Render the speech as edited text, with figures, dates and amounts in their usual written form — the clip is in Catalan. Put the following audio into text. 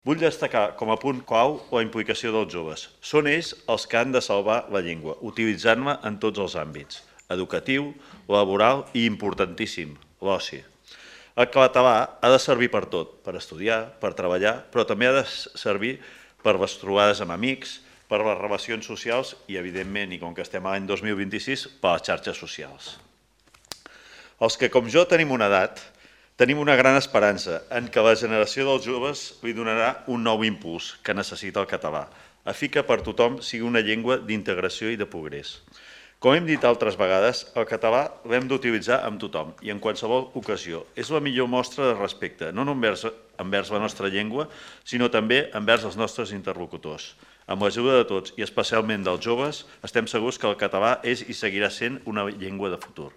Vull destacar com a punt clau la implicació dels joves. Són ells els que han de salvar la llengua, utilitzant-la en tots els àmbits: educatiu, laboral i, importantíssim, l'oci. El català ha de servir per tot, per estudiar, per treballar, però també ha de servir per les trobades amb amics, per les relacions socials i, evidentment, i com que estem a l'any 2026, per les xarxes socials. Els que, com jo, tenim una edat, tenim una gran esperança en què la generació dels joves li donarà un nou impuls que necessita el català, a fi que per tothom sigui una llengua d'integració i de progrés. Com hem dit altres vegades, el català l'hem d'utilitzar amb tothom i en qualsevol ocasió. És la millor mostra de respecte, no només envers la nostra llengua, sinó també envers els nostres interlocutors. Amb l'ajuda de tots i especialment dels joves, estem segurs que el català és i seguirà sent una llengua de futur.